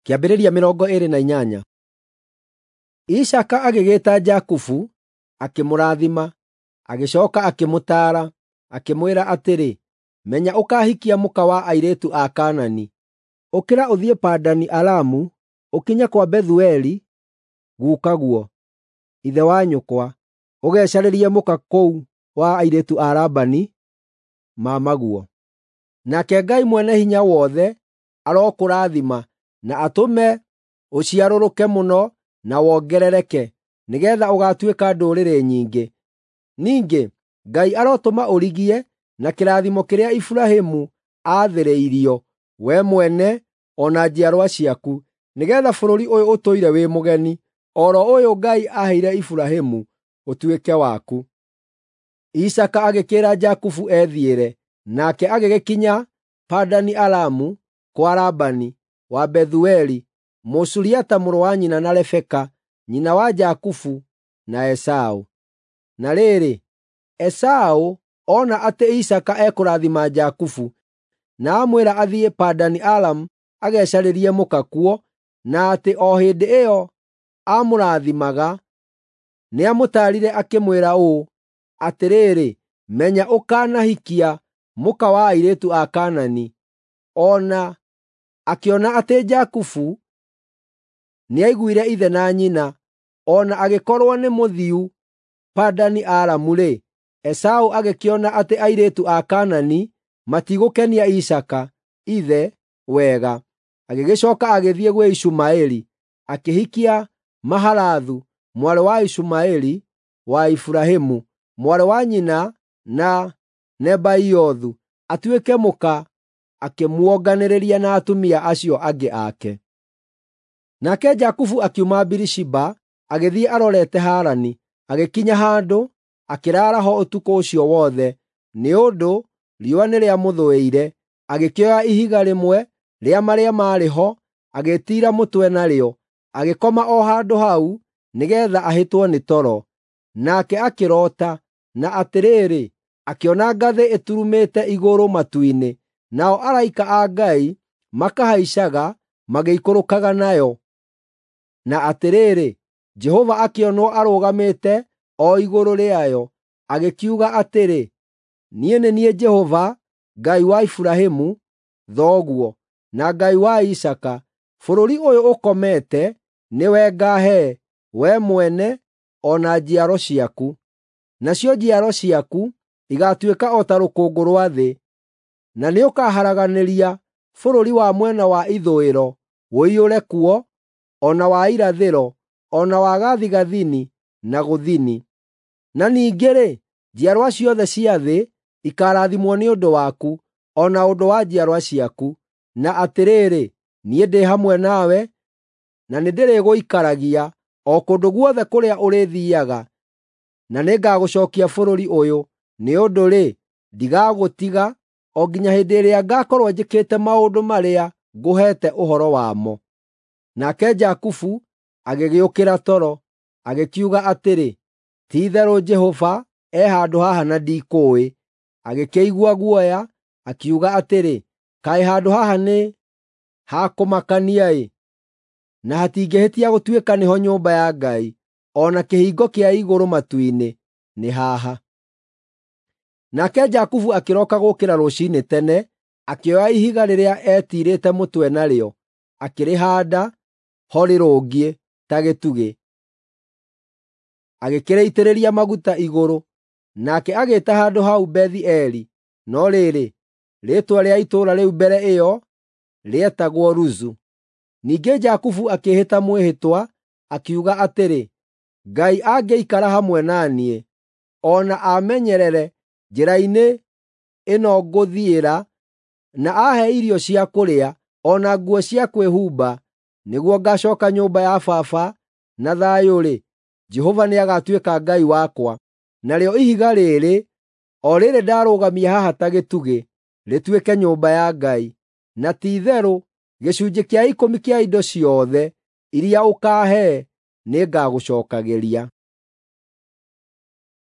Kĩambĩrĩria 28. Isaaka agĩgĩĩta Jakubu, akĩmũrathima, agĩcooka akĩmũtaara, akĩmwĩra atĩrĩ, “Menya ũkaahikia mũka wa airĩtu a Kaanani. Ũkĩra ũthiĩ Padani-Aramu, ũkinye kwa Bethueli gukaguo, ithe wa nyũkwa, ũgecarĩrie mũka kũu wa airĩtu a Labani, mamaguo. Nake Ngai Mwene-Hinya-Wothe arokũrathima na atũme ũciarũrũke mũno na wongerereke, nĩgeetha ũgaatuĩka ndũrĩrĩ nyingĩ. Ningĩ Ngai arotũma ũrigie na kĩrathimo kĩrĩa Iburahĩmu aathĩrĩirio, wee mwene o na njiarwa ciaku, nĩgeetha bũrũri ũyũ ũtũire wĩ mũgeni, o ro ũyũ Ngai aaheire Iburahĩmu, ũtuĩke waku.” Isaaka agĩkĩĩra Jakubu ethiĩre, nake agĩgĩkinya Padani-Aramu kwa Labani wa Bethueli, Mũsuriata mũrũ wa nyina na Rebeka, nyina wa Jakubu na Esaũ. Na rĩrĩ, Esaũ ona atĩ Isaaka ekũrathima Jakubu, na amwĩra athiĩ Padani-Aramu agecarĩrie mũka kuo, na atĩ o hĩndĩ ĩyo aamũrathimaga, nĩamũtaarire akĩmwĩra ũũ, “Atĩrĩrĩ, menya ũkanahikia mũka wa airĩtu a Kaanani.” O na akĩona atĩ Jakubu nĩaiguire ithe na nyina, o na agĩkorwo nĩ mũthiu Padani-Aramu-rĩ, Esaũ agĩkĩona atĩ airĩtu a Kaanani matigũkenia Isaaka, ithe, wega, agĩgĩcooka agĩthiĩ gwĩ Ishumaeli, akĩhikia Mahalathu, mwarĩ wa Ishumaeli wa Iburahĩmu, mwarĩ wa nyina na Nebaiothu, atuĩke mũka, akĩmuonganĩrĩria na atumia acio angĩ ake. Nake Jakubu akiuma Birishiba agĩthiĩ arorete Harani, agĩkinya handũ, akĩraara ho ũtukũ ũcio wothe, nĩ ũndũ riũa nĩrĩamũthũĩire. Agĩkĩoya ihiga rĩmwe rĩa marĩa maarĩ ho, agĩĩtiira mũtwe narĩo, agĩkoma o handũ hau nĩgeetha ahĩtwo nĩ toro. Nake akĩroota, na atĩrĩrĩ, akĩona ngathĩ ĩturumĩte igũrũ matu-inĩ, nao araika a Ngai makahaicaga magĩikũrũkaga nayo. Na atĩrĩrĩ, Jehova akĩonwo arũgamĩte o igũrũ rĩayo, agĩkiuga atĩrĩ, “Niĩ nĩ niĩ Jehova, Ngai wa Iburahĩmu thoguo, na Ngai wa Isaaka. Bũrũri ũyũ ũkomete nĩwe ngaahe, wee mwene o na njiaro ciaku. Nacio njiaro ciaku igaatuĩka o ta rũkũngũ rwa thĩ, na nĩũkaharaganĩria bũrũri wa mwena wa ithũĩro ũiyũre kuo, o na wa irathĩro, o na wa gathigathini na gũthini. Na ningĩ-rĩ, njiarwa ciothe cia thĩ ikaarathimwo nĩ ũndũ waku, o na ũndũ wa njiarwa ciaku. Na atĩrĩrĩ, niĩ ndĩ hamwe nawe, na nĩndĩrĩgũikaragia o kũndũ guothe kũrĩa ũrĩthiiaga, na nĩngagũcookia bũrũri ũyũ, nĩ ũndũ-rĩ, ndigagũtiga o nginya hĩndĩ ĩrĩa ngaakorwo njĩkĩte maũndũ marĩa ngũheete ũhoro wamo.” Nake Jakubu agĩgĩũkĩra toro, agĩkiuga atĩrĩ, “Ti-itherũ Jehova e handũ haha na ndikũũĩ.” Agĩkĩigua guoya, akiuga atĩrĩ, “Kaĩ handũ haha nĩ ha kũmakania-ĩ, na hatingĩhĩtia gũtuĩka nĩho nyũmba ya Ngai, o na kĩhingo kĩa igũrũ matu-inĩ nĩ haha.” Nake Jakubu akĩroka gũũkĩra rũciinĩ tene, akĩoya ihiga rĩrĩa eetiirĩte mũtwe narĩo, akĩrĩhaanda ho rĩrũngiĩ ta gĩtugĩ, agĩkĩrĩitĩrĩria maguta igũrũ. Nake agĩĩta handũ hau Bethi-Eli, no rĩrĩ, rĩĩtwa rĩa itũũra rĩu mbere ĩyo rĩetagwo Luzu. Ningĩ Jakubu akĩĩhĩta mwĩhĩtwa, akiuga atĩrĩ, “Ngai angĩikara hamwe na niĩ, o na aamenyerere njĩra-inĩ ĩno ngũthiĩra, na aahe irio cia kũrĩa, o na nguo cia kwĩhumba, nĩguo ngaacooka nyũmba ya baba na thayũ-rĩ, Jehova nĩagatuĩka Ngai wakwa. Narĩo ihiga rĩĩrĩ, o rĩĩrĩ ndarũgamia haha ta gĩtugĩ, rĩtuĩke nyũmba ya Ngai. Na ti-itherũ gĩcunjĩ kĩa ikũmi kĩa indo ciothe iria ũkaahe nĩngagũcookagĩria.”